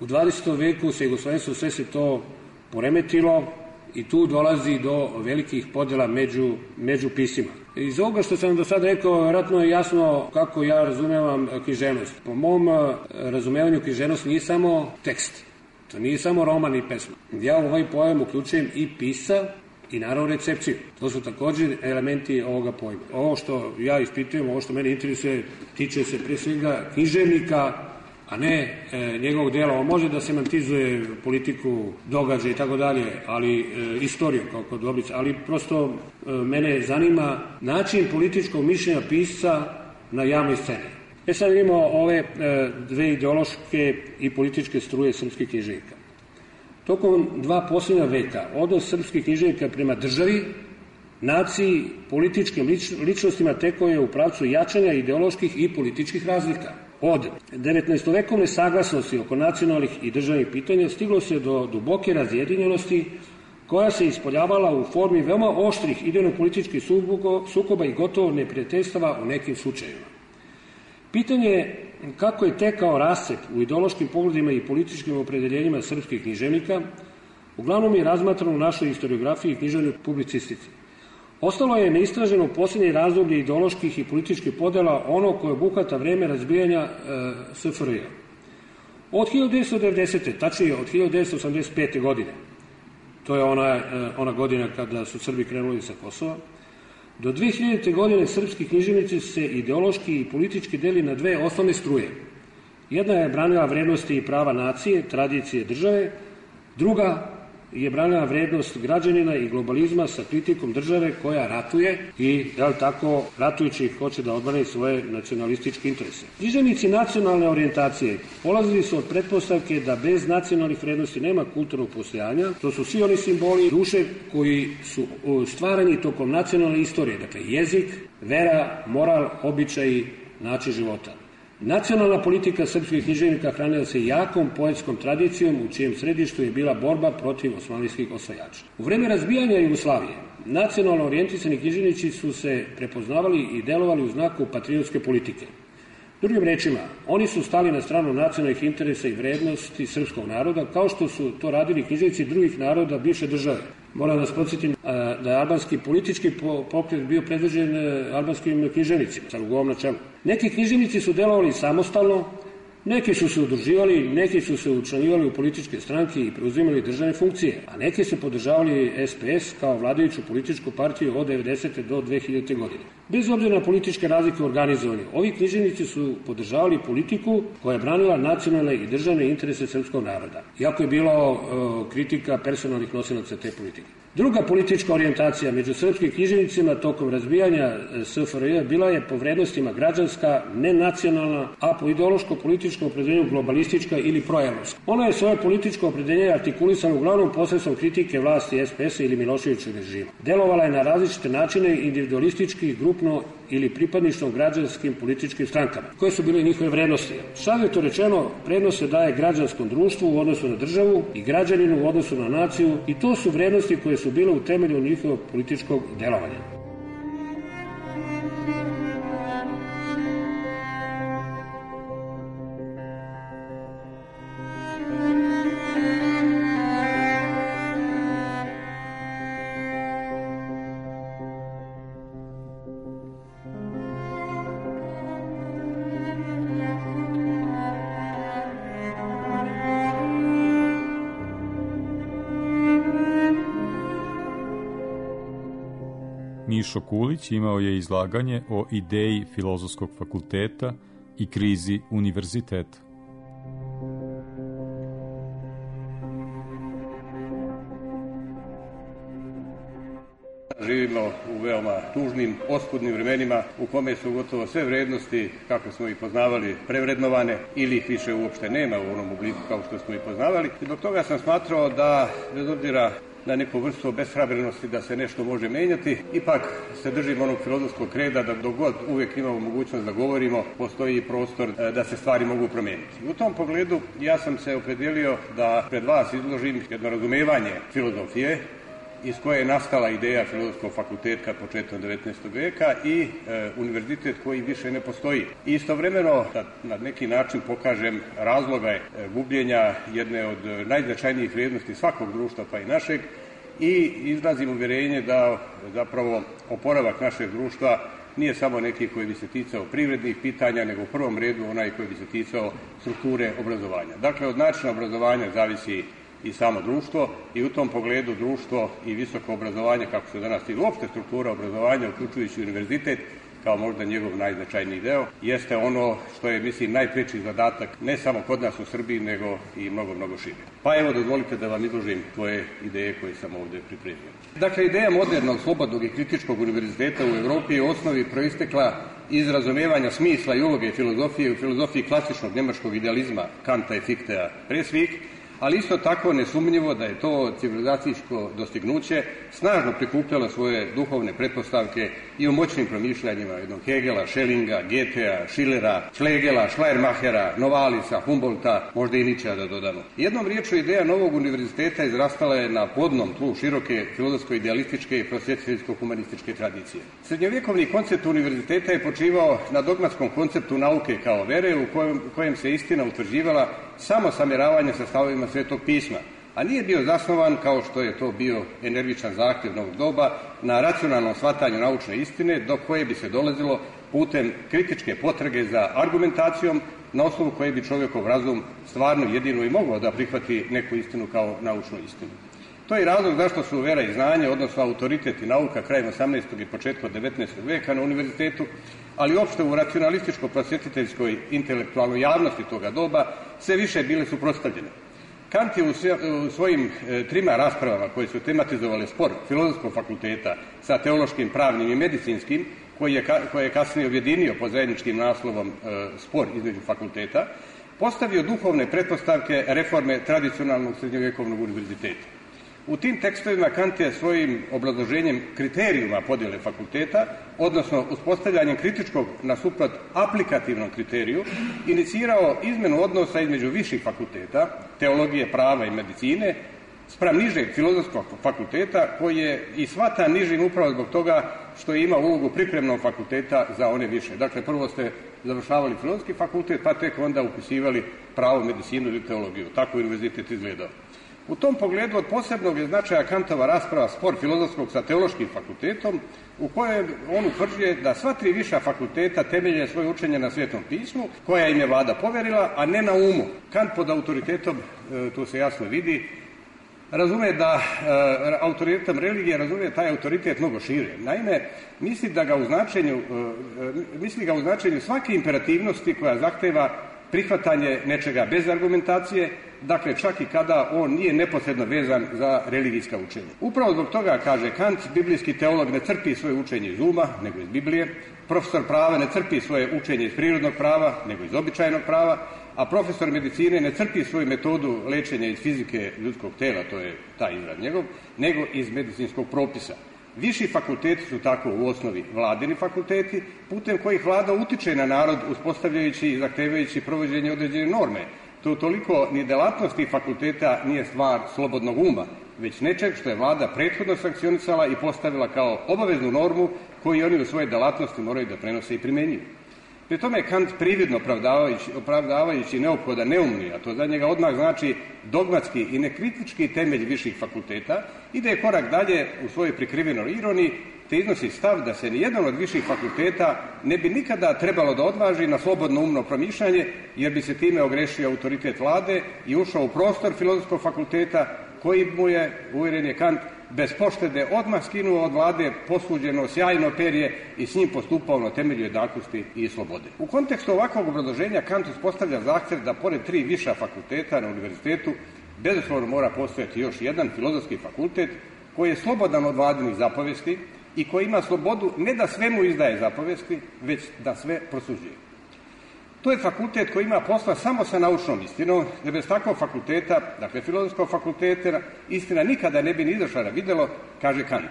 U dvadesetom veku sa Jugoslavijom sve se to poremetilo i tu dolazi do velikih podela među, među pisima. Iz ovoga što sam do sada rekao, vjerojatno je jasno kako ja razumevam književnost. Po mom razumevanju književnost nije samo tekst. To nije samo roman i pesma. Ja u ovaj pojam uključujem i pisa i naravno recepciju. To su također elementi ovoga pojma. Ovo što ja ispitujem, ovo što mene interesuje, tiče se prije svega književnika, a ne e, njegovog dela. On može da semantizuje politiku, događaje i tako dalje, ali e, istoriju kao kod Dobrica, ali prosto e, mene zanima način političkog mišljenja pisca na javnoj sceni. E sad vidimo ove e, dve ideološke i političke struje srpskih književnika. Tokom dva posljednja veka odnos srpskih književnika prema državi, naciji, političkim lič, ličnostima tekao je u pravcu jačanja ideoloških i političkih razlika. Od devetnaestovekovne saglasnosti oko nacionalnih i državnih pitanja stiglo se do duboke razjedinjenosti koja se ispoljavala u formi veoma oštrih idejno-političkih sukoba i gotovo neprijateljstava u nekim slučajevima. Pitanje je kako je tekao rascep u ideološkim pogledima i političkim opredeljenjima srpskih književnika, uglavnom je razmatrano u našoj historiografiji i književnoj publicistici. Ostalo je neistraženo u posljednje razdoblje ideoloških i političkih podela ono koje obuhvata vreme razbijanja e, S F R J. Od hiljadu devetsto devedesete. tačnije od hiljadu devetsto osamdeset pete. godine, to je ona, e, ona godina kada su Srbi krenuli sa Kosova, do dve hiljadite. godine srpski književnici se ideološki i politički deli na dve osnovne struje. Jedna je branila vrednosti i prava nacije, tradicije države, druga je branila vrednost građanina i globalizma sa kritikom države koja ratuje i, jel tako, ratujući hoće da odbrani svoje nacionalističke interese. Književnici nacionalne orijentacije polazili su od pretpostavke da bez nacionalnih vrednosti nema kulturnog postojanja. To su svi oni simboli duše koji su stvarani tokom nacionalne istorije, dakle jezik, vera, moral, običaji, način života. Nacionalna politika srpskih književnika hranila se jakom poetskom tradicijom u čijem središtu je bila borba protiv osmanlijskih osvajača. U vreme razbijanja Jugoslavije, nacionalno orijentisani književnici su se prepoznavali i delovali u znaku patriotske politike. Drugim rečima, oni su stali na stranu nacionalnih interesa i vrednosti srpskog naroda, kao što su to radili književnici drugih naroda bivše države. Moram da vas podsjetim da je albanski politički pokret bio predvođen albanskim književnicima, sa Rugovom na čelu. Neki književnici su delovali samostalno, neki su se udruživali, neki su se učlanjivali u političke stranke i preuzimali državne funkcije, a neki su podržavali S P S kao vladajuću političku partiju od devedesete do dve hiljadite godine. Bez obzira na političke razlike u organizovanju, ovi književnici su podržavali politiku koja je branila nacionalne i državne interese srpskog naroda, iako je bilo uh, kritika personalnih nosilaca te politike. Druga politička orijentacija među srpskim književnicima tokom razbijanja S F R J bila je po vrednostima građanska, nenacionalna, a po ideološko-političkom opredeljenju globalistička ili proevropska. Ona je svoje političko opredeljenje artikulisano uglavnom posredstvom kritike vlasti S P S-a ili Miloševićevog režima. Delovala je na različite načine individualistički, grupno ili pripadništvom građanskim političkim strankama, koje su bile njihove vrednosti. Savjetno rečeno, prednost se daje građanskom društvu u odnosu na državu i građaninu u odnosu na naciju i to su vrednosti koje su bile u temelju njihovog političkog delovanja. Mišo Kulić imao je izlaganje o ideji Filozofskog fakulteta i krizi univerziteta. Živimo u veoma tužnim, oskudnim vremenima u kome su gotovo sve vrednosti, kako smo ih poznavali, prevrednovane ili ih više uopšte nema u onom obliku kao što smo ih poznavali. I zbog toga sam smatrao da, bez obzira na neku vrstu beshrabrenosti da se nešto može menjati, ipak se držimo onog filozofskog reda da dok god uvijek imamo mogućnost da govorimo, postoji prostor da se stvari mogu promijeniti. U tom pogledu ja sam se opredijelio da pred vas izložim jedno razumevanje filozofije iz koje je nastala ideja Filozofskog fakulteta početkom devetnaestog veka i e, univerzitet koji više ne postoji. I istovremeno da na neki način pokažem razloga e, gubljenja jedne od najznačajnijih vrijednosti svakog društva pa i našeg i izrazim uvjerenje da zapravo oporavak našeg društva nije samo neki koji bi se ticao privrednih pitanja, nego u prvom redu onaj koji bi se ticao strukture obrazovanja. Dakle, od načina obrazovanja zavisi i samo društvo i u tom pogledu društvo i visoko obrazovanje, kako se danas i uopšte struktura obrazovanja, uključujući univerzitet, kao možda njegov najznačajniji deo, jeste ono što je, mislim, najpreći zadatak ne samo kod nas u Srbiji, nego i mnogo, mnogo šire. Pa evo, dozvolite da vam izložim tvoje ideje koje sam ovdje pripremio. Dakle, ideja modernog, slobodnog i kritičkog univerziteta u Evropi je u osnovi proistekla iz razumijevanja smisla i uloge filozofije u filozofiji klasičnog njemačkog idealizma Kanta i Fichteja pre svih, ali isto tako nesumnjivo da je to civilizacijsko dostignuće snažno prikupljalo svoje duhovne pretpostavke i u moćnim promišljanjima jednog Hegela, Schellinga, Goethea, Schillera, Schlegela, Schleiermachera, Novalisa, Humboldta, možda i Nietzschea da dodamo. Jednom riječju ideja novog univerziteta izrastala je na plodnom tlu široke filozofsko-idealističke i prosvjetiteljsko-humanističke tradicije. Srednjovjekovni koncept univerziteta je počivao na dogmatskom konceptu nauke kao vere u kojem, kojem se istina utvrđivala samo samjeravanje sa stavovima Svetog pisma, a nije bio zasnovan, kao što je to bio energičan zahtjev novog doba, na racionalnom shvatanju naučne istine, do koje bi se dolazilo putem kritičke potrage za argumentacijom, na osnovu koje bi čovjekov razum stvarno jedino i mogao da prihvati neku istinu kao naučnu istinu. To je razlog zašto su vera i znanje, odnosno autoritet i nauka krajem osamnaestog i početkom devetnaestog veka na univerzitetu, ali uopšte u racionalističko-prosvjetiteljskoj intelektualnoj javnosti toga doba sve više bile suprotstavljene. Kant je u svojim trima raspravama koje su tematizovale spor Filozofskog fakulteta sa teološkim, pravnim i medicinskim, koji je, koji je kasnije objedinio pod zajedničkim naslovom spor između fakulteta, postavio duhovne pretpostavke reforme tradicionalnog srednjovjekovnog univerziteta. U tim tekstovima Kant je svojim obrazloženjem kriterijuma podjele fakulteta, odnosno uspostavljanjem kritičkog nasuprot aplikativnom kriteriju, inicirao izmenu odnosa između viših fakulteta, teologije, prava i medicine, spram nižeg filozofskog fakulteta, koji je i shvata nižim upravo zbog toga što ima ulogu pripremnog fakulteta za one više. Dakle, prvo ste završavali filozofski fakultet, pa tek onda upisivali pravo, medicinu ili teologiju. Tako je univerzitet izgledao. U tom pogledu od posebnog je značaja Kantova rasprava spor filozofskog sa teološkim fakultetom, u kojem on utvrđuje da sva tri viša fakulteta temelje svoje učenje na Svetom pismu, koja im je vlada poverila, a ne na umu. Kant pod autoritetom, tu se jasno vidi, razume da e, autoritetom religije razume taj autoritet mnogo šire. Naime, misli da ga u značenju, e, misli ga u značenju svake imperativnosti koja zahteva prihvatanje nečega bez argumentacije, dakle čak i kada on nije neposredno vezan za religijska učenja. Upravo zbog toga, kaže Kant, biblijski teolog ne crpi svoje učenje iz uma, nego iz Biblije, profesor prava ne crpi svoje učenje iz prirodnog prava, nego iz običajnog prava, a profesor medicine ne crpi svoju metodu lečenja iz fizike ljudskog tela, to je taj izraz njegov, nego iz medicinskog propisa. Viši fakulteti su tako u osnovi vladini fakulteti, putem kojih vlada utiče na narod uspostavljajući i zahtevajući provođenje određene norme. To toliko ni delatnosti fakulteta nije stvar slobodnog uma, već nečeg što je vlada prethodno sankcionisala i postavila kao obaveznu normu koju oni u svojoj delatnosti moraju da prenose i primenjuju. Pri tome je Kant prividno opravdavajući, opravdavajući neophodan neumni, a to za njega odmah znači dogmatski i nekritički temelj viših fakulteta, ide korak dalje u svojoj prikrivenoj ironiji, te iznosi stav da se nijedan od viših fakulteta ne bi nikada trebalo da odvaži na slobodno umno promišljanje, jer bi se time ogrešio autoritet vlade i ušao u prostor filozofskog fakulteta, koji mu je, uvjeren je Kant, bez poštede odmah skinuo od vlade posuđeno sjajno perje i s njim postupao na temelju jednakosti i slobode. U kontekstu ovakvog obrazloženja Kant uspostavlja zahtjev da pored tri viša fakulteta na univerzitetu bezuslovno mora postojati još jedan filozofski fakultet koji je slobodan od vladinih zapovesti i koji ima slobodu ne da svemu izdaje zapovesti, već da sve prosuđuje. To je fakultet koji ima posla samo sa naučnom istinom, jer bez takvog fakulteta, dakle filozofskog fakulteta, istina nikada ne bi ni izašla na videlo, kaže Kant.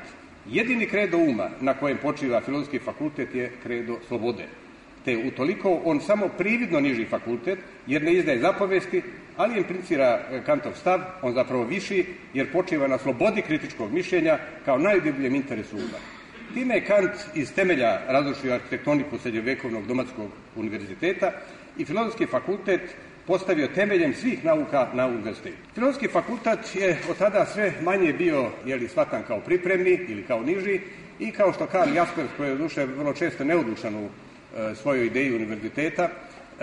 Jedini kredo uma na kojem počiva filozofski fakultet je kredo slobode. Te utoliko on samo prividno niži fakultet, jer ne izdaje zapovesti, ali implicira Kantov stav, on zapravo viši, jer počiva na slobodi kritičkog mišljenja kao najdubljem interesu uma. Time je Kant iz temelja razrušio arhitektoniku srednjovekovnog domatskog univerziteta i filozofski fakultet postavio temeljem svih nauka na univerzitetu. Filozofski fakultet je od tada sve manje bio jeli, shvatan kao pripremni ili kao niži i kao što Karl Jaspers, koji je duše vrlo često neodlučan u e, svojoj ideji univerziteta, e,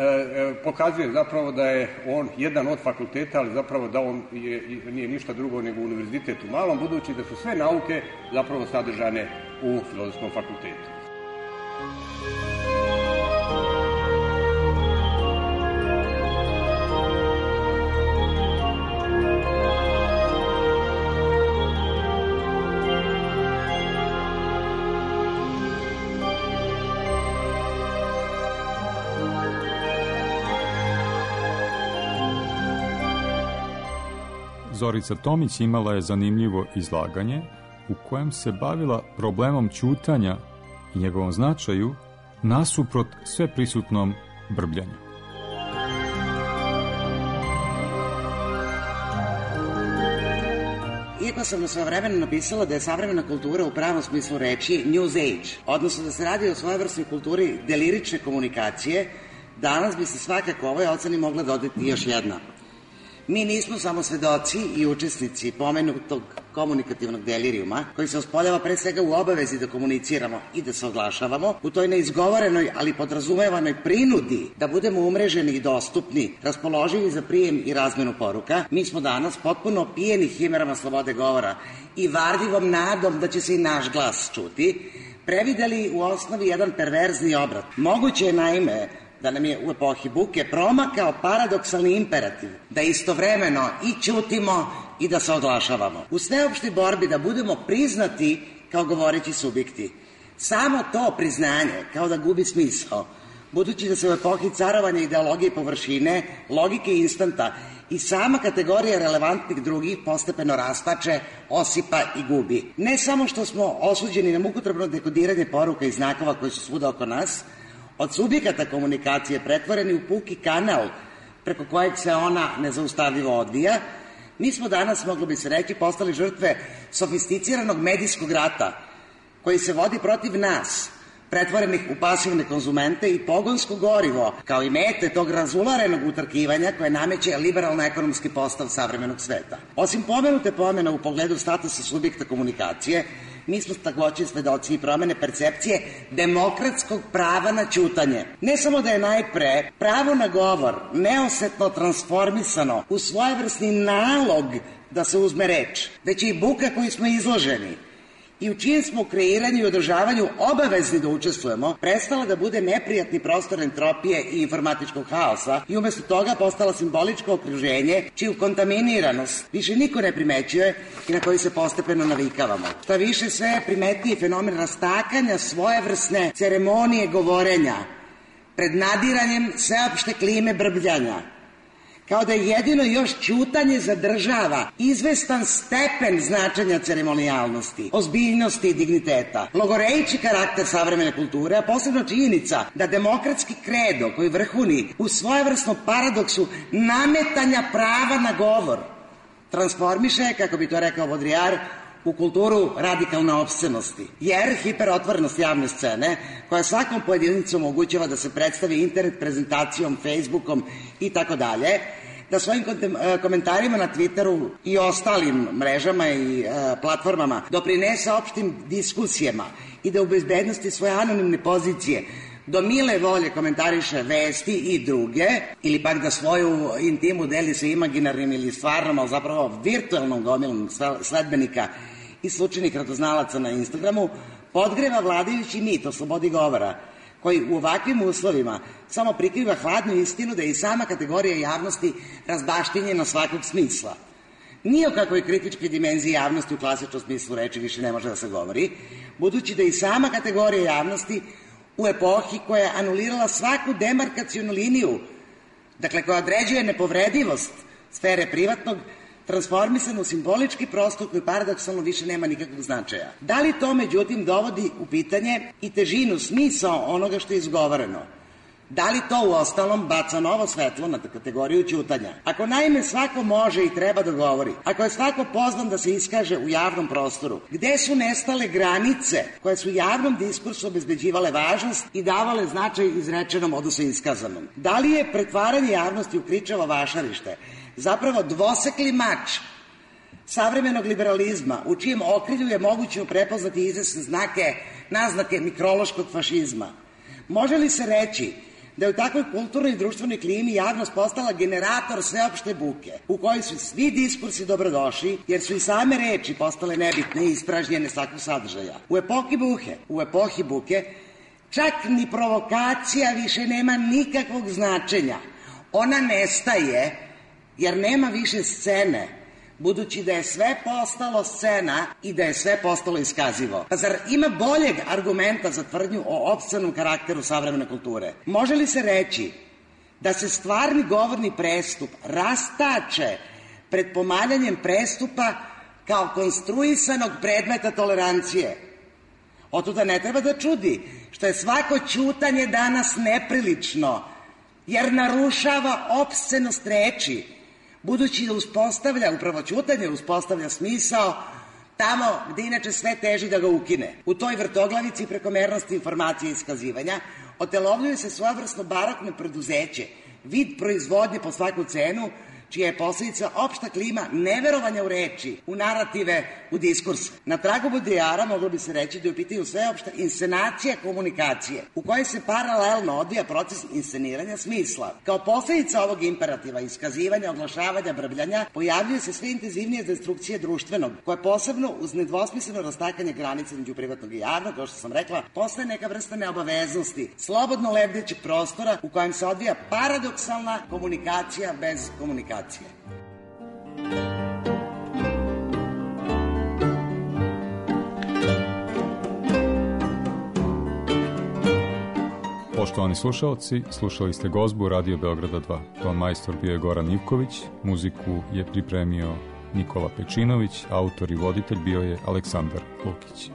e, pokazuje zapravo da je on jedan od fakulteta, ali zapravo da on je, nije ništa drugo nego univerzitet u malom, budući da su sve nauke zapravo sadržane u filozofskom fakultetu. Zorica Tomić imala je zanimljivo izlaganje u kojem se bavila problemom ćutanja i njegovom značaju nasuprot sveprisutnom brbljanju. Iako sam na svojevremeno napisala da je savremena kultura u pravom smislu reči News Age, odnosno da se radi o svojevrsnoj kulturi delirične komunikacije, danas bi se svakako ovoj oceni mogla dodati još jedna. Mi nismo samo svedoci i učesnici pomenutog komunikativnog delirijuma, koji se ospoljava pre svega u obavezi da komuniciramo i da se oglašavamo, u toj neizgovorenoj, ali podrazumevanoj prinudi da budemo umreženi i dostupni, raspoloživi za prijem i razmenu poruka. Mi smo danas potpuno pijeni himerama slobode govora i varljivom nadom da će se i naš glas čuti, prevideli u osnovi jedan perverzni obrat. Moguće je naime da nam je u epohi buke promakao paradoksalni imperativ, da istovremeno i ćutimo i da se oglašavamo. U sveopštoj borbi da budemo priznati kao govoreći subjekti. Samo to priznanje kao da gubi smisao, budući da se u epohi carovanja ideologije površine, logike instanta i sama kategorija relevantnih drugih postepeno rastače, osipa i gubi. Ne samo što smo osuđeni na mukotrpno dekodiranje poruka i znakova koji su svuda oko nas, od subjekata komunikacije pretvoreni u puki kanal preko kojeg se ona nezaustavljivo odvija, mi smo danas, moglo bi se reći, postali žrtve sofisticiranog medijskog rata koji se vodi protiv nas, pretvorenih u pasivne konzumente i pogonsko gorivo, kao i mete tog razularenog utrkivanja koje nameće liberalno-ekonomski postav savremenog sveta. Osim pomenute pomene u pogledu statusa subjekta komunikacije, mi smo takođe svedoci i promene percepcije demokratskog prava na ćutanje. Ne samo da je najpre pravo na govor neosetno transformisano u svojevrsni nalog da se uzme reč, već i buka koju smo izloženi i u čijem smo u kreiranju i održavanju obavezni da učestvujemo, prestala da bude neprijatni prostor entropije i informatičkog haosa i umesto toga postala simboličko okruženje čiju kontaminiranost više niko ne primećuje i na koji se postepeno navikavamo. Šta više, sve je primetniji fenomen rastakanja svojevrsne ceremonije govorenja pred nadiranjem sveopšte klime brbljanja, kao da jedino još ćutanje zadržava izvestan stepen značenja ceremonijalnosti, ozbiljnosti i digniteta. Logorejići karakter savremene kulture, a posebno činjenica da demokratski kredo koji vrhuni u svojevrsnom paradoksu nametanja prava na govor transformiše, kako bi to rekao Vodrijar, u kulturu radikalne opscenosti. Jer hiperotvorenost javne scene, koja svakom pojedinicu omogućava da se predstavi internet prezentacijom, Facebookom i tako dalje, da svojim komentarima na Twitteru i ostalim mrežama i e, platformama doprinese opštim diskusijama i da u bezbednosti svoje anonimne pozicije do mile volje komentariše vesti i druge, ili pak da svoju intimu deli sa imaginarnim ili stvarnom, ali zapravo virtualnom gomilom sledbenika i slučajnih radoznalaca na Instagramu, podgreva vladajući mit o slobodi govora, koji u ovakvim uslovima samo prikriva hladnu istinu da je i sama kategorija javnosti razbaštinjena svakog smisla. Ni o kakvoj kritičkoj dimenziji javnosti u klasičnom smislu reči više ne može da se govori, budući da i sama kategorija javnosti u epohi koja je anulirala svaku demarkacionu liniju, dakle koja određuje nepovredivost sfere privatnog, transformisan u simbolički prostor koji paradoksalno više nema nikakvog značaja. Da li to, međutim, dovodi u pitanje i težinu, smisao onoga što je izgovoreno? Da li to u ostalom baca novo svetlo na kategoriju ćutanja? Ako naime svako može i treba da govori, ako je svako pozvan da se iskaže u javnom prostoru, gde su nestale granice koje su javnom diskursu obezbeđivale važnost i davale značaj izrečenom, odnosno iskazanom? Da li je pretvaranje javnosti u kričavo vašarište zapravo dvosekli mač savremenog liberalizma, u čijem okrilju je moguće prepoznati izvesne znake, naznake mikrološkog fašizma? Može li se reći da je u takvoj kulturnoj i društvenoj klimi javnost postala generator sveopšte buke, u kojoj su svi diskursi dobrodošli, jer su i same reči postale nebitne i ispražnjene svakog sadržaja? U epohi buke, u epohi buke, čak ni provokacija više nema nikakvog značenja. Ona nestaje, jer nema više scene, budući da je sve postalo scena i da je sve postalo iskazivo. Pa zar ima boljeg argumenta za tvrdnju o opscenom karakteru savremene kulture? Može li se reći da se stvarni govorni prestup rastače pred pomaljanjem prestupa kao konstruisanog predmeta tolerancije? Otuda ne treba da čudi što je svako ćutanje danas neprilično, jer narušava opscenost reči, budući da uspostavlja, upravo ćutanje uspostavlja smisao tamo gde inače sve teži da ga ukine. U toj vrtoglavici prekomernosti informacije i iskazivanja otelovljuje se svojevrsno barokno preduzeće, vid proizvodnje po svaku cenu, čija je posledica opšta klima neverovanja u reči, u narative, u diskurs. Na tragu Bodrijara moglo bi se reći da je u pitanju sveopšta inscenacija komunikacije, u kojoj se paralelno odvija proces insceniranja smisla. Kao posledica ovog imperativa, iskazivanja, oglašavanja, brbljanja, pojavljuje se sve intenzivnije destrukcije društvenog, koja posebno uz nedvosmisleno rastakanje granice među privatnog i javnog, kao što sam rekla, postaje neka vrsta neobaveznosti, slobodno lebdećeg prostora u kojem se odvija paradoksalna komunikacija bez komunikacije. Poštovani slušalci, slušali ste Gozbu Radio Beograda dva. Ton majstor bio je Goran Ivković, muziku je pripremio Nikola Pečinović, autor i voditelj bio je Aleksandar Lukić.